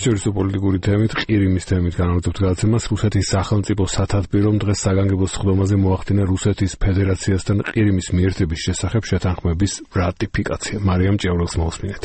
საერთაშორისო პოლიტიკური თემით, ყირიმის თემით განაგრძობთ გადაცემას. რუსეთის სახელმწიფო სათათბირომ დღეს საგანგებო სხდომაზე მოახდინა რუსეთის ფედერაციასთან ყირიმის მიერთების შესახებ შეთანხმების რატიფიკაცია. მარიამ ჭიაურელს მოусმინეთ.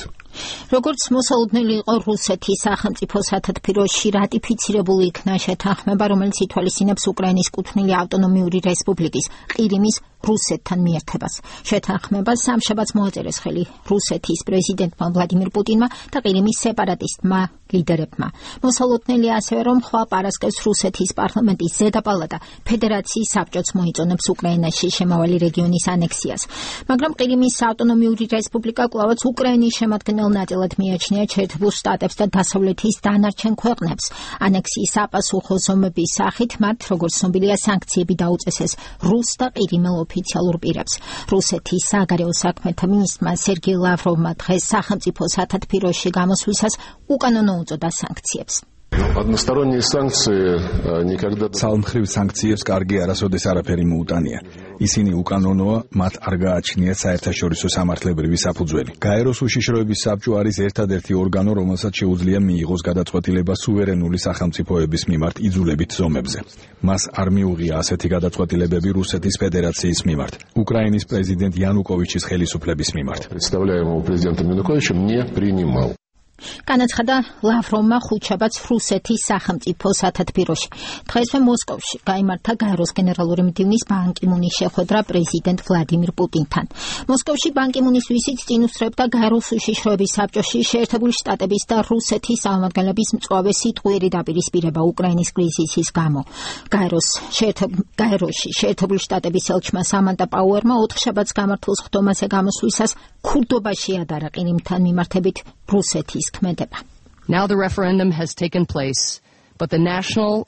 როგორც მოსალოდნელი იყო რუსეთის სახელმწიფო სათათბიროში რატიფიცირებული იქნა შეთანხმება, რომელიც ითვალისწინებს უკრაინის კუთვნილი ავტონომიური რესპუბლიკის ყირიმის რუსეთთან მიერთებას. შეთანხმებას სამშაბათს მოაწერეს ხელი რუსეთის პრეზიდენტმა ვლადიმირ პუტინმა და ყირიმის სეპარატისტმა ლიდერებმა. მოსალოდნელი ასევე, რომ ხვალ პარასკევს რუსეთის პარლამენტის ზედა პალატა ფედერაციის საბჭოც მოიწონებს უკრაინაში შემავალი რეგიონის ანექსიას. მაგრამ ყირიმის ავტონომიური რესპუბლიკა კვლავაც უკრაინის შემადგენელ ნაწილად მიაჩნია შეერთებულ შტატებს და დასავლეთის დანარჩენ ქვეყნებს. ანექსიის საპასუხო ზომების სახით მათ, როგორც ცნობილია, სანქციები დაუწესეს რუს და ყირიმელ ოფიციალურ პირებს. რუსეთის საგარეო საქმეთა მინისტრმა სერგეი ლავროვმა დღეს სახელმწიფო სათათბიროში გამოსვლისას უკანონო უწოდა სანქციებს. Ცალმხრივ სანქციებს კარგი არასოდეს არაფერი მოუტანია. ისინი უკანონოა, მათ არ გააჩნიათ საერთაშორისო სამართლებრივი საფუძველი. გაეროს უშიშროების საბჭო არის ერთადერთი ორგანო, რომელსაც შეუძლია მიიღოს გადაწყვეტილება სუვერენული სახელმწიფოების მიმართ იძულებით ზომებზე. მას არ მიუღია ასეთი გადაწყვეტილებები რუსეთის ფედერაციის მიმართ, უკრაინის პრეზიდენტ იანუკოვიჩის ხელისუფლების მიმართ. განაცხადა ლავროვმა ხუთშაბათს რუსეთის სახელმწიფო სათათბიროში. დღესვე მოსკოვში გაიმართა გაეროს გენერალური მდივნის ბან კი მუნის შეხვედრა პრეზიდენტ ვლადიმირ პუტინთან. მოსკოვში ბან კი მუნის ვიზიტს წინ უსწრებდა გაეროს უშიშროების საბჭოში შეერთებული შტატების და რუსეთის წარმომადგენლების მწვავე სიტყვიერი დაპირისპირება უკრაინის კრიზისის გამო. გაეროში შეერთებული შტატების ელჩმა სამანტა პაუერმა ოთხშაბათს გამართულ სხდომაზე გამოსვლისას ქურდობაში ადარა ყირიმთან მიმართებით რუსეთის ქმედება. Now the referendum has taken place, but the national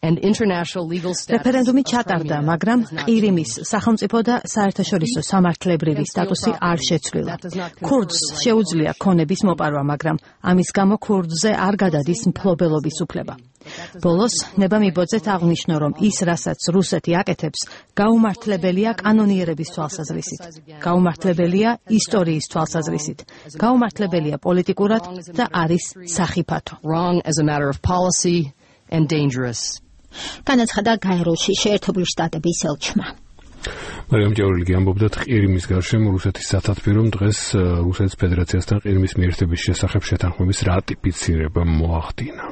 and international legal status რეფერენდუმი ჩატარდა, მაგრამ ყირიმის სახელმწიფო და საერთაშორისო სამართლებრივი სტატუსი არ შეცვლილა. ქურდს შეუძლია ქონების მოპარვა, მაგრამ ამის გამო ქურდზე არ გადადის მფლობელობის უფლება. ბოლოს ნება მიბოძეთ აღნიშნო, რომ ის, რასაც რუსეთი აკეთებს, გაუმართლებელია კანონიერების თვალსაზრისით, გაუმართლებელია ისტორიის თვალსაზრისით, გაუმართლებელია პოლიტიკურად და არის სახიფათო. Wrong as a matter of policy and dangerous. განაცხადა გაეროში შეერთებული შტატების ელჩმა. მარიამ ჭიაურელი ამბობდა, ყირიმის გარშემო რუსეთის სათათბირომ დღეს რუსეთის ფედერაციასთან ყირიმის მიერთების შესახებ შეთანხმების რატიფიცირება მოახდინა.